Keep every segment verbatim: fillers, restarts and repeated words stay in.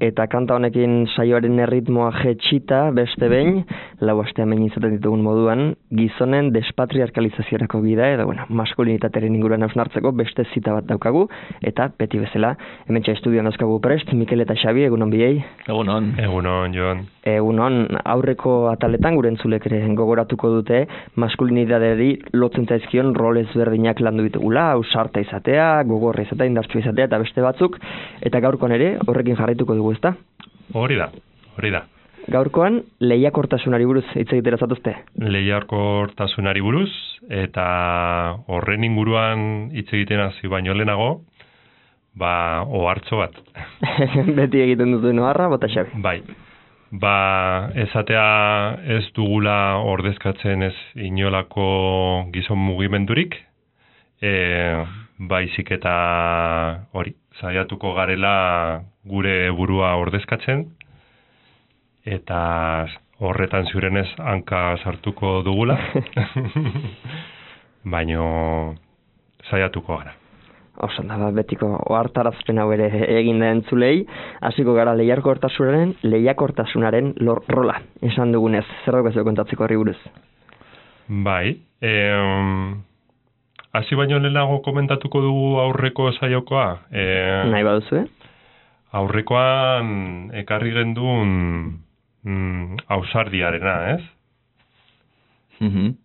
eta kanta honekin saioaren erritmoa jetxita, beste behin, lau aste hemen izaten ditugun moduan, gizonen despatriarkalizaziorako bida, edo, bueno, maskulinitatearen inguruan hausnartzeko beste zita bat daukagu, eta beti bezala, hemen txa estudioan dauzkagu prest, Mikel eta Xabi, egunon biei. Egunon. Egunon, Jon. Egunon, aurreko ataletan gure entzulek ere gogoratuko dute, maskulinitateari lotzen zaizkion rol ezberdinak landu ditugula, ausarta izatea, gogorra izatea, indartsua izatea, eta beste batzuk, eta gaurkoan ere, horrekin jarraituko dugu, ezta? Hori da, hori da. Gaurkoan, lehiakortasunari buruz hitz egitera zatuzte? Lehiakortasunari buruz, eta horren inguruan hitz egiten hasi baino lehenago, ba, ohartxo bat. Beti egiten dut oharra, bota Xabi. Bai, ba, esatea ez dugula ordezkatzen ez inolako gizon mugimendurik, e, baizik eta hori, saiatuko garela gure burua ordezkatzen, eta horretan ziurenez hanka sartuko dugula, baino saiatuko gara. Osan da, betiko ohartarazpen hau ere egin da entzulei, hasiko gara lehiakortasunaren, lehiakortasunaren rola, esan dugunez, zer daukazu kontatzeko horri buruz? Bai, em, hasi baino lehenago komentatuko dugu aurreko saiokoa. E, Nahi baduzu, eh? Aurrekoan ekarri gendun mm, ausardiarena, ez? Mhm.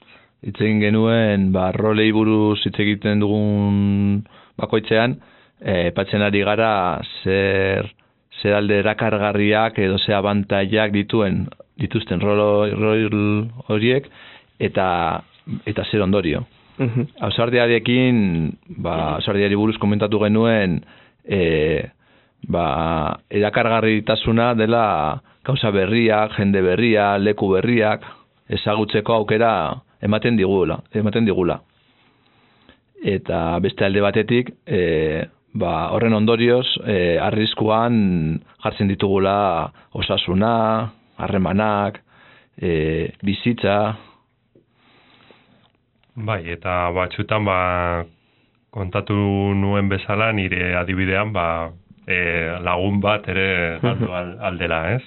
Hitz egin genuen, ba, rolei buruz hitz egiten dugun bakoitzean, eh, epatzen ari gara zer, zer alde erakargarriak edo ze abantailak dituen, dituzten rol, rol horiek, eta, eta zer ondorio. Mhm. Ausardiarekin, ba, ausardiari buruz komentatu genuen, eh, ba, erakargarritasuna dela gauza berriak, jende berria, leku berriak, ezagutzeko aukera ematen digula, ematen digula. Eta beste alde batetik, e, ba, horren ondorioz, e, arriskuan jartzen ditugula osasuna, harremanak, e, bizitza. Bai, eta batzutan ba, kontatu nuen bezala nire adibidean ba, e, lagun bat ere galdu aldela, ez?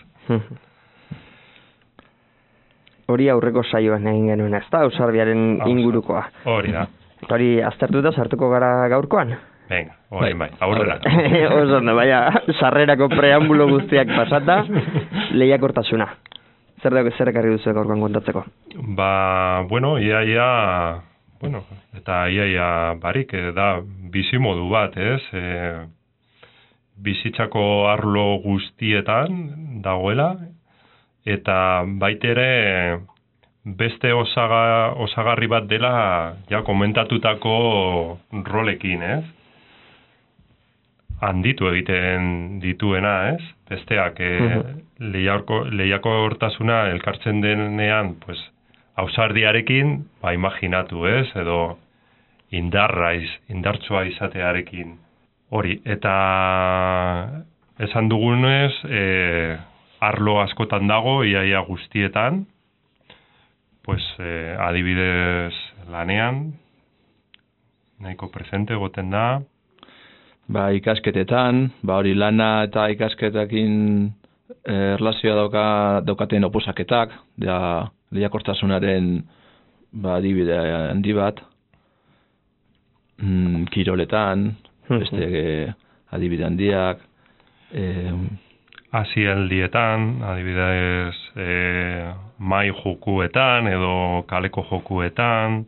Hori aurreko saioan egin genuen, ez da, ausardiaren ingurukoa. Hori da. Hori aztertuta sartuko gara gaurkoan? Venga, hori bai, aurrera. Oso, no, baina, sarrerako preambulo guztiak pasata, lehiakortasuna. Zer dago zer ekarri duzu gaurkoan kontatzeko? Ba, bueno, ia, ia, bueno, eta ia, ia barik, da bizimodu bat, ez? E, bizitzako arlo guztietan dagoela, eta baitere beste osaga, osagarri bat dela ja komentatutako rolekin, ez? Handitu egiten dituena, ez? Besteak e, lehiako, lehiako hortasuna elkartzen denean, pues, ausardiarekin, ba, imaginatu, ez? Edo indarra, iz, indartsua izatearekin. Hori, eta esan dugunez, e, arlo askotan dago, iaia guztietan, pues, eh, adibidez lanean, nahiko presente goten da. Ba, ikasketetan, ba, hori lana eta ikasketakin eh, erlazioa dauka, daukaten oposaketak, da lehiakortasunaren ba, adibide handi bat, mm, kiroletan, beste eh, adibide handiak, eh, Hasialdietan, adibidez, e, mai jokuetan edo kaleko jokuetan.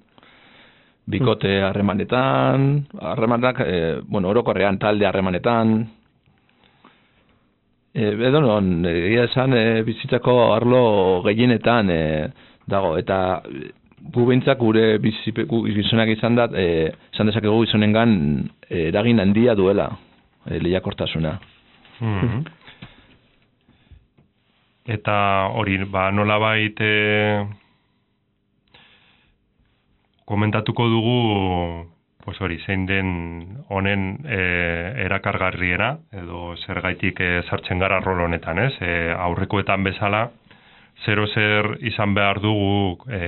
Bikote harremanetan, harremanak, e, bueno, orokorrean talde harremanetan. E, edo non, egia esan, e, bizitzako arlo gehienetan e, dago, eta gu behintzak gure gizonak izan da, e, izan dezakegu gizonengan e, eragin handia duela, e, lehiakortasuna. Mm-hmm. Eta hori, ba, nolabait e, komentatuko dugu, pues hori, zein den honen e, erakargarriena, edo zergaitik e, sartzen gara rol honetan, ez? E, aurrekoetan bezala, zero zer izan behar dugu e,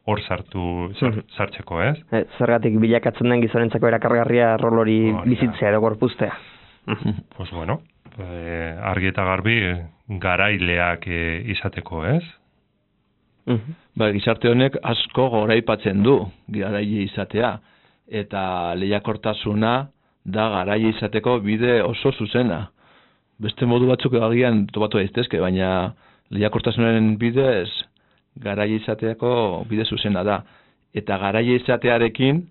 hor sartu sartzeko, ez? E, zergatik bilakatzen den gizonentzako erakargarria rol hori bizitzea edo gorpuztea. Pues bueno, e, argi eta garbi garaileak e, izateko, ez? Mm-hmm. Ba, gizarte honek asko goraipatzen du garaile izatea, eta lehiakortasuna da garaile izateko bide oso zuzena. Beste modu batzuk agian topatu daitezke, baina lehiakortasunaren bidez garaile izateako bide zuzena da. Eta garaile izatearekin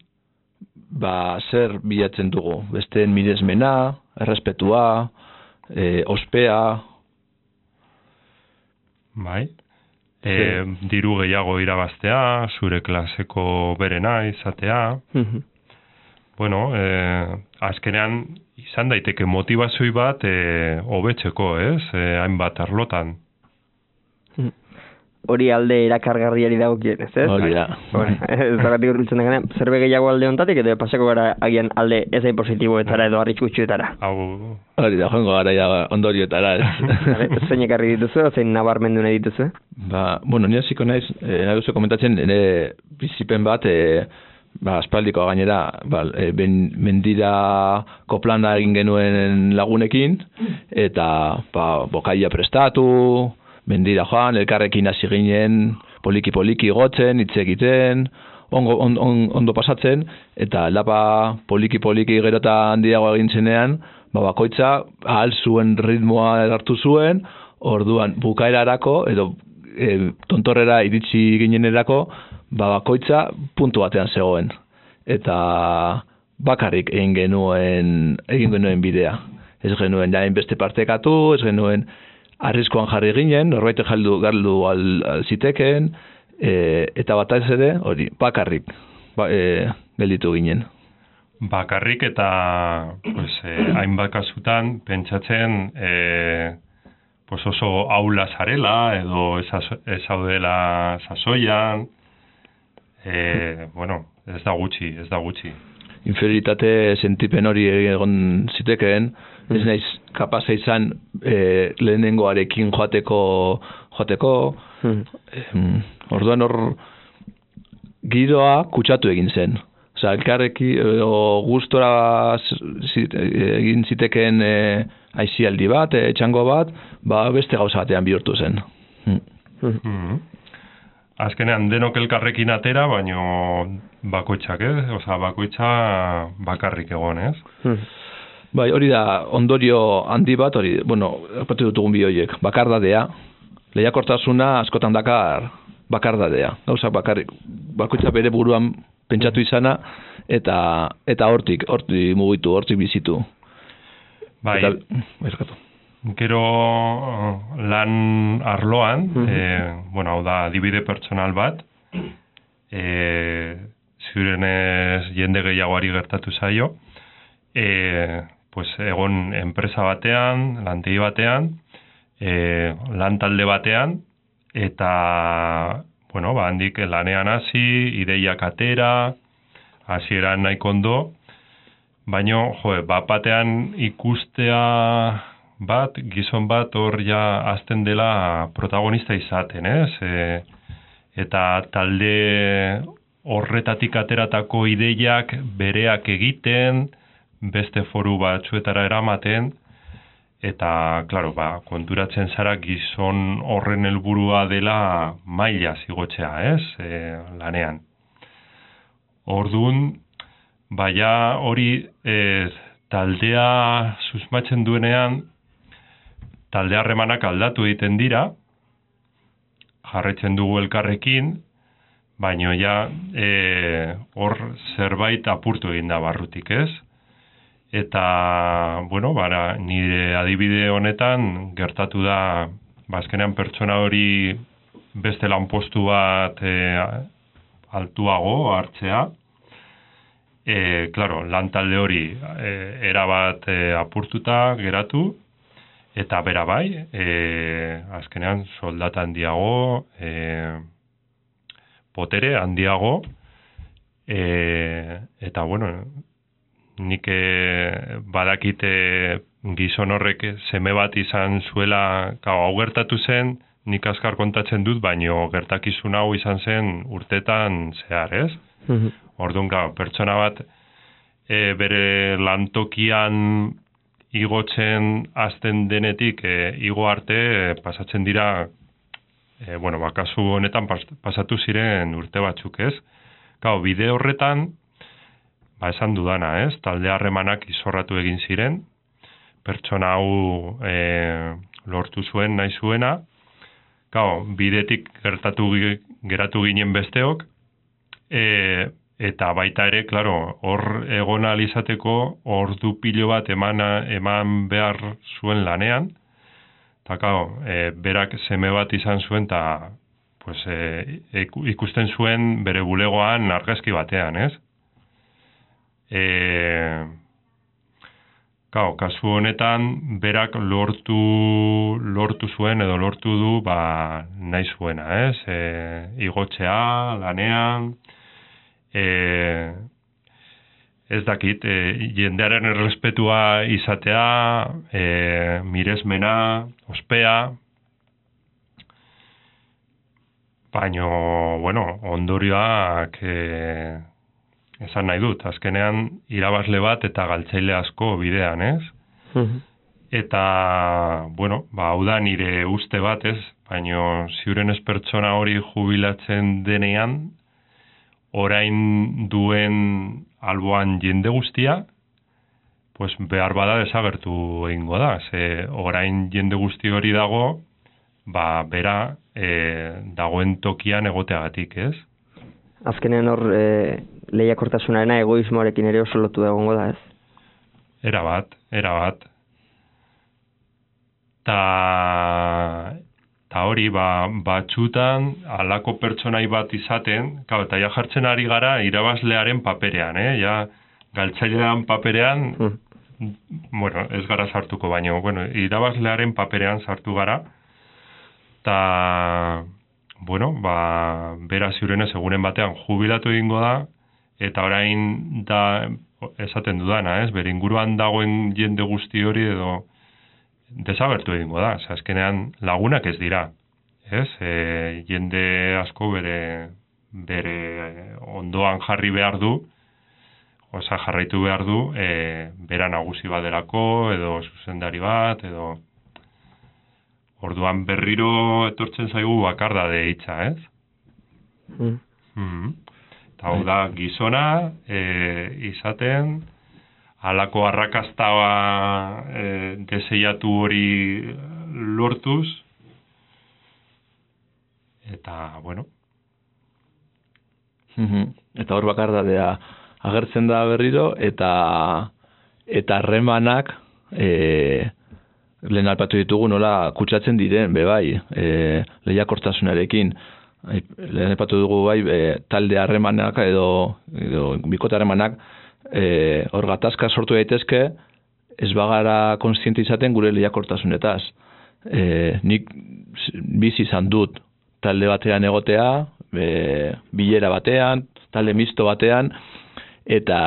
ba, zer bilatzen dugu? Besteen miresmena, errespetua, e, ospea. Bai. E, diru gehiago irabaztea, zure klaseko berena izatea. Mhm. Bueno, e, azkenean izan daiteke motivazioi bat e, hobetzeko, ez? E, hainbat arlotan. Hori alde erakargarriari dagokien, ez ez? Hori da. Ez dagatik urbiltzen deganean, zerbe gehiago alde ontatik, edo pasako gara agian alde ez da positiboetara edo arriskutsuetara. Hau... Hori da, joango gara ja ondorioetara, ez? Zein ekarri dituzu, zein nabarmendu nahi dituzu? Ba, bueno, nire ziko naiz, eh, nahi duzu komentatzen, nire bizipen bat, eh, ba, aspaldiko gainera, ba, e, ben, mendira koplana egin genuen lagunekin, eta ba, bokaia prestatu, mendira joan, elkarrekin hasi ginen, poliki-poliki gotzen, hitz egiten, ongo, on, on, ondo pasatzen, eta lapa poliki-poliki gero eta handiago egin zenean, ba, bakoitza ahal zuen ritmoa hartu zuen, orduan bukaerarako, edo e, tontorrera iritsi ginenerako, ba, bakoitza puntu batean zegoen. Eta bakarrik egin genuen, egin genuen bidea. Ez genuen jain beste partekatu, ez genuen arriskoan jarri ginen, norbait jaldu galdu al, al ziteken, e, eta bataz ere, hori, bakarrik ba, e, gelditu ginen. Bakarrik eta pues, eh, hainbat kasutan pentsatzen eh, pues oso aula zarela edo ez daudela sasoian, eh, bueno, ez da gutxi, ez da gutxi. Inferioritate sentipen hori egon zitekeen, ez naiz kapaza izan e, lehenengoarekin joateko, joateko hmm. e, orduan hor giroa kutsatu egin zen. Osa, elkarreki o, gustora egin zitekeen e, aizialdi bat, e, txango bat, ba beste gauza batean bihurtu zen. Hmm. Hmm. Hmm. Azkenean denok elkarrekin atera, baino bakoitzak, ez? Osa, bakoitza bakarrik egon, ez? Hmm. Bai, hori da ondorio handi bat, hori, bueno, apatu dutugun bi horiek, bakardadea, lehiakortasuna askotan dakar bakardadea, gauza bakarrik, bakoitza bere buruan pentsatu izana, eta eta hortik, hortik mugitu, hortik bizitu. Bai, eta, gero lan arloan, mm-hmm. e, bueno, hau da, adibide pertsonal bat, e, zirenez jende gehiagoari gertatu zaio, e, pues, egon enpresa batean, lantegi batean, e, lan talde batean, eta, bueno, ba, handik lanean hasi, ideiak atera, hasieran nahiko ondo, baino, jo, bat batean ikustea bat, gizon bat hor ja azten dela protagonista izaten, ez? E, eta talde horretatik ateratako ideiak bereak egiten, beste foru batzuetara eramaten, eta, klaro, ba, konturatzen zara gizon horren helburua dela maila zigotzea, ez? E, lanean. Orduan, baina hori e, taldea susmatzen duenean, talde harremanak aldatu egiten dira, jarretzen dugu elkarrekin, baino ja e, hor zerbait apurtu egin da barrutik, ez? Eta, bueno, bara, nire adibide honetan gertatu da, bazkenean pertsona hori beste lanpostu bat e, altuago hartzea. E, claro, lan talde hori e, erabat e, apurtuta geratu, eta bera bai, e, azkenean soldata handiago, e, potere handiago, e, eta bueno, nik e, badakite gizon horrek seme bat izan zuela, gau, hau gertatu zen, nik azkar kontatzen dut, baino gertakizun hau izan zen urtetan zehar, ez? Mm-hmm. Orduan, gau, pertsona bat e, bere lantokian igotzen hasten denetik e, igo arte e, pasatzen dira, e, bueno, ba, kasu honetan pas, pasatu ziren urte batzuk, ez? Gau, bide horretan, ba, esan dudana, ez? Talde harremanak izorratu egin ziren, pertsona hau e, lortu zuen nahi zuena, gau, bidetik gertatu geratu ginen besteok, e, eta baita ere, claro, hor egon ahal izateko ordu pilo bat eman, eman behar zuen lanean, eta claro, e, berak seme bat izan zuen, eta pues, e, ikusten zuen bere bulegoan argazki batean, ez? E, claro, kasu honetan, berak lortu, lortu zuen edo lortu du ba, nahi zuena, ez? E, igotzea, lanean, E, ez dakit, e, jendearen errespetua izatea, e, miresmena, ospea, baino, bueno, ondorioak e, esan nahi dut, azkenean irabazle bat eta galtzaile asko bidean, ez? Mhm. Eta, bueno, ba, hau da nire uste bat, ez? Baino, ziuren ez pertsona hori jubilatzen denean, orain duen alboan jende guztia, pues behar bada desagertu egingo da. Ze orain jende guzti hori dago, ba, bera e, dagoen tokian egoteagatik, ez? Azkenean hor e, lehiakortasunarena egoismoarekin ere oso lotu egongo da, ez? Era bat, era bat. Ta... Eta hori, ba, batxutan, alako pertsonai bat izaten, kau, eta ja jartzen ari gara irabazlearen paperean, eh? Ja, galtzailean paperean, mm. bueno, ez gara sartuko, baina, bueno, irabazlearen paperean sartu gara, eta, bueno, ba, bera ziurenez egunen batean jubilatu egingo da, eta orain da, esaten dudana, ez? Bere inguruan dagoen jende guzti hori edo, desagertu egingo da, ze azkenean lagunak ez dira, ez? E, jende asko bere, bere ondoan jarri behar du, oza jarraitu behar du, e, bera nagusi baderako, edo zuzendari bat, edo orduan berriro etortzen zaigu bakardade hitza, ez? Mm. Mm-hmm. Eta hau da gizona, e, izaten, halako arrakasta e, deseiatu hori lortuz, eta, bueno. Mm-hmm. Eta hor bakardadea agertzen da berriro, eta eta harremanak e, lehen alpatu ditugu nola kutsatzen diren, bebai, e, lehiakortasunarekin. Lehen alpatu dugu bai, e, talde harremanak edo, edo bikote harremanak, E, hor gatazka sortu daitezke, ez bagara kontziente izaten gure lehiakortasunetaz. E, nik bizi izan dut talde batean egotea, e, bilera batean, talde misto batean, eta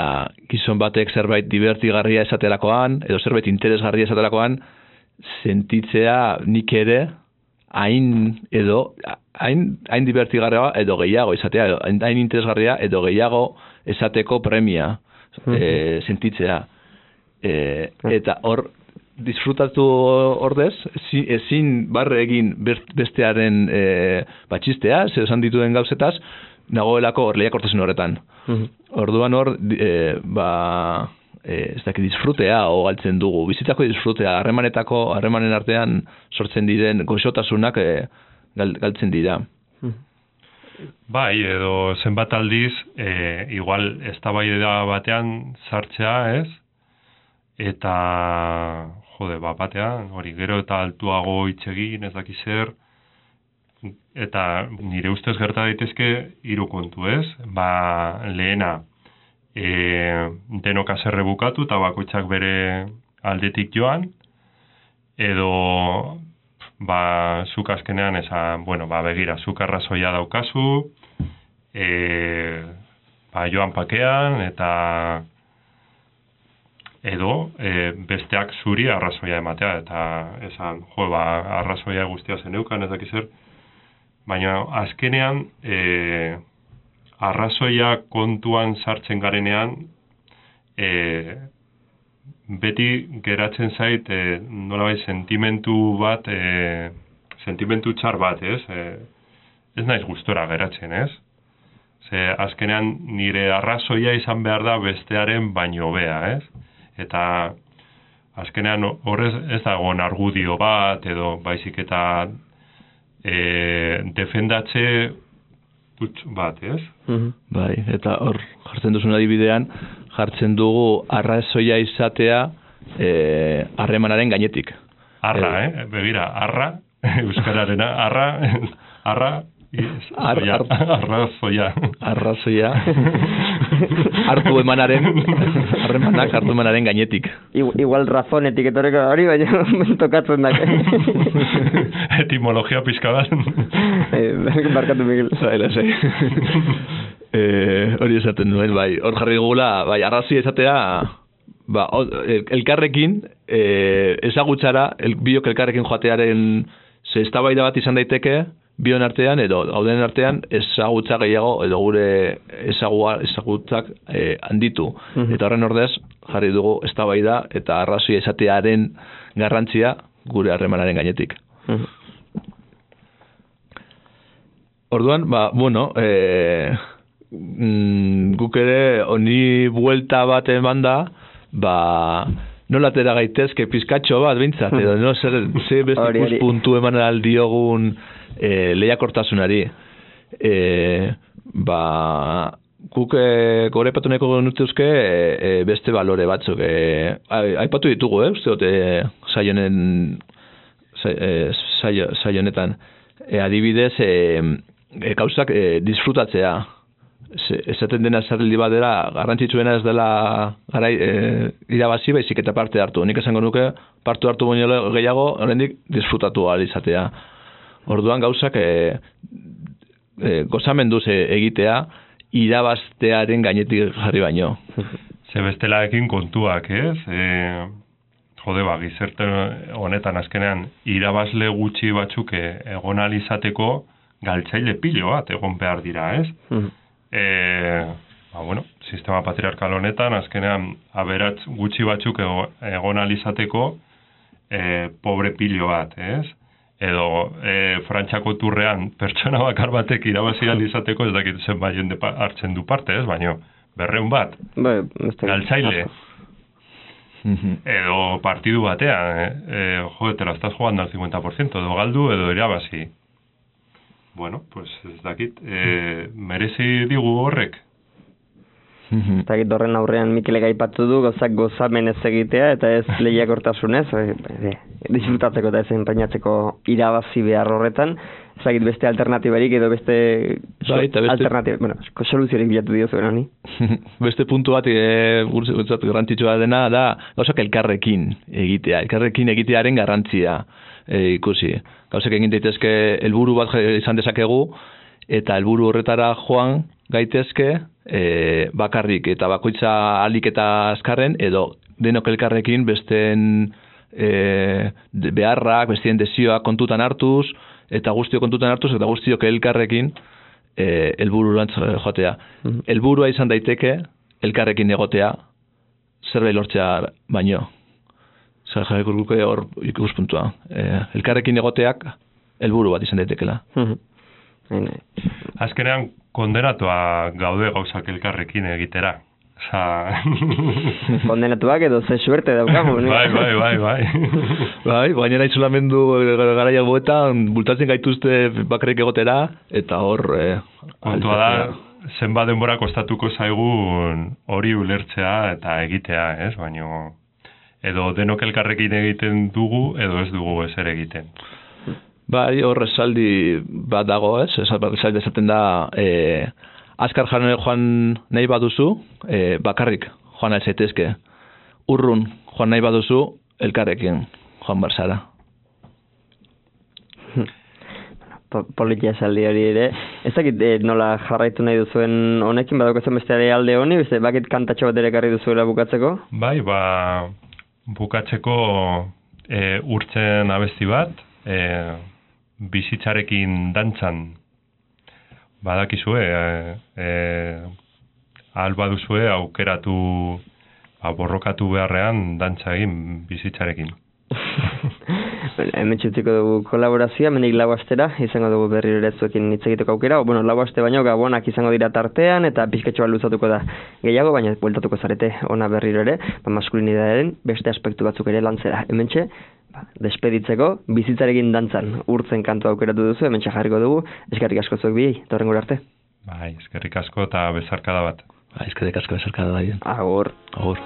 gizon batek zerbait divertigarria esaterakoan, edo zerbait interesgarria esaterakoan, sentitzea nik ere, hain edo, hain, hain divertigarria edo gehiago izatea, edo, hain interesgarria edo gehiago esateko premia. E, sentitzea e, eta hor disfrutatu ordez ezin barre egin bestearen e, batxistea, zer esan dituen gauzetaz nagoelako hor lehiakortasun horretan. Orduan hor e, ba, e, ez dakit disfrutea o galtzen dugu, bizitzako disfrutea, harremanetako harremanen artean sortzen diren goxotasunak e, gal, galtzen dira. Bai, edo zenbat aldiz, e, igual eztabaida batean sartzea, ez? Eta, jode, bat batean, hori gero eta altuago hitz egin, ez daki zer, eta nire ustez gerta daitezke hiru kontu, ez? Ba, lehena, e, denok haserre bukatu eta bakoitzak bere aldetik joan, edo ba, zuk azkenean esan, bueno, ba, begira, zuk arrazoia daukazu, e, ba, joan pakean, eta edo e, besteak zuri arrazoia ematea, eta esan, jo, ba, arrazoia guztia zeneukan, ez dakiz zer, baina azkenean, e, arrazoia kontuan sartzen garenean, e, beti geratzen zait e, nolabait sentimentu bat, e, sentimentu txar bat, ez? E, ez naiz gustora geratzen, ez? Ze azkenean nire arrazoia izan behar da bestearen baino hobea, ez? Eta azkenean horrez ez dago argudio bat, edo baizik eta e, defendatze dut bat, ez? Mm-hmm. Bai, eta hor jartzen duzun adibidean, jartzen dugu arrazoia izatea harremanaren e, gainetik. Arra, e, eh? Begira, arra, euskararena, arra, arra, Ar, ar, arrazoia. Arrazoia. Hartu emanaren, harremanak hartu emanaren gainetik. Igual razonetik etorreko hori, baina tokatzen dak. Etimologia pixka bat. Barkatu, Miguel. Zaila, zai. Hori esaten nuen, bai. Hor jarri gula, bai, arrazoia esatea, ba, elkarrekin, eh, ezagutzara, el, biok elkarrekin joatearen ze eztabaida bat izan daiteke, bion artean edo gauden artean ezagutza gehiago edo gure ezagua, ezagutzak eh, handitu. Mm-hmm. Eta horren ordez jarri dugu eztabaida eta arrazoia esatearen garrantzia gure harremanaren gainetik. Mm-hmm. Orduan, ba, bueno, e, mm, guk ere honi buelta bat eman da, ba, nola atera gaitezke pizkatxo bat bintzat, edo no, zer, zer beste ikuspuntu eman aldiogun E, lehiakortasunari. E, ba, guk e, gore patu neko genutuzke e, e, beste balore batzuk. E, aipatu ditugu, eh? Uste dute saionen saionetan. E, adibidez, e, e, gauzak e, disfrutatzea. Esaten dena zerrildi bat dela, garrantzitsuena ez dela garai, e, irabazi baizik eta parte hartu. Nik esango nuke, parte hartu baino gehiago, oraindik disfrutatu ahal izatea. Orduan gauzak e, e, gozamenduz egitea irabaztearen gainetik jarri baino. Ze bestelaekin kontuak, ez? E, jode, ba, gizerte honetan azkenean irabazle gutxi batzuk egon alizateko galtzaile pilo bat egon behar dira, ez? E, ba, bueno, sistema patriarkal honetan azkenean aberats gutxi batzuk egon alizateko e, pobre pilo bat, ez? Edo e, Frantxako turrean pertsona bakar batek irabazia izateko ez dakit zen baien hartzen du parte, ez? Baina berreun bat, ba, galtzaile. Edo partidu batean, e, e, jode, te la estás jugando al cincuenta por ciento, edo galdu edo irabazi. Bueno, pues ez dakit, e, merezi digu horrek. Eta horren aurrean Mikelek aipatu du gozak gozamen ez egitea eta ez lehiakortasunez, e, disfrutatzeko eta ez enpainatzeko irabazi behar horretan, ezagit beste alternatibarik edo beste, bai, beste... alternatiba, bueno, soluziorik bilatu dio zuen honi. Beste puntu bat e, guretzat garrantzitsua dena da gauzak elkarrekin egitea, elkarrekin egitearen garrantzia e, ikusi. Gauzak egin daitezke helburu bat izan dezakegu eta helburu horretara joan gaitezke e, bakarrik eta bakoitza alik eta azkarren edo denok elkarrekin besteen e, beharrak, besteen desioak kontutan hartuz eta guztio kontutan hartuz eta guztiok elkarrekin e, helbururantz joatea. Mm-hmm. Helburua izan daiteke elkarrekin egotea zerbait lortzea baino. Zer jarriko guke hor ikuspuntua. E, elkarrekin egoteak helburu bat izan daitekela. Mm-hmm. Azkenean kondenatua gaude gauzak elkarrekin egitera. Osa... kondenatuak edo ze suerte daukagu. bai, bai, bai, bai. bai, baina izolamendu garaia goetan bultatzen gaituzte bakarrik egotera eta hor... Eh, kontua da, zenba denbora kostatuko zaigun hori ulertzea eta egitea, ez? Baina edo denok elkarrekin egiten dugu edo ez dugu ezer egiten. Bai, hor esaldi bat dago, ez? Esaldi esaten da, e, azkar joan nahi baduzu, e, bakarrik joan nahi zaitezke. Urrun joan nahi baduzu, elkarrekin joan barzara. Politia esaldi hori ere. Ez dakit e, nola jarraitu nahi duzuen honekin, badaukatzen besteare alde honi, beste bakit kantatxo bat ere karri duzuela bukatzeko? Bai, ba, bukatzeko e, urtzen abesti bat, e, bizitzarekin dantzan badakizue, e, e, alba duzue aukeratu ba, borrokatu beharrean dantza egin bizitzarekin. Hemen txutziko dugu kolaborazioa, menik lau astera, izango dugu berriro ere zuekin hitz egiteko aukera, o, bueno, lau aste baino gabonak izango dira tartean, eta pizketxo bat luzatuko da gehiago, baina bueltatuko zarete ona berriro ere, ba, maskulinitatearen beste aspektu batzuk ere lantzera. Hemen txe, ba, despeditzeko, bizitzarekin dantzan urtzen kantu aukeratu duzu, hemen txe jarriko dugu, eskerrik asko zuek biei, torren gura arte. Bai, eskerrik asko eta bezarkada bat. Bai, eskerrik asko bezarkada da. Agur. Agur.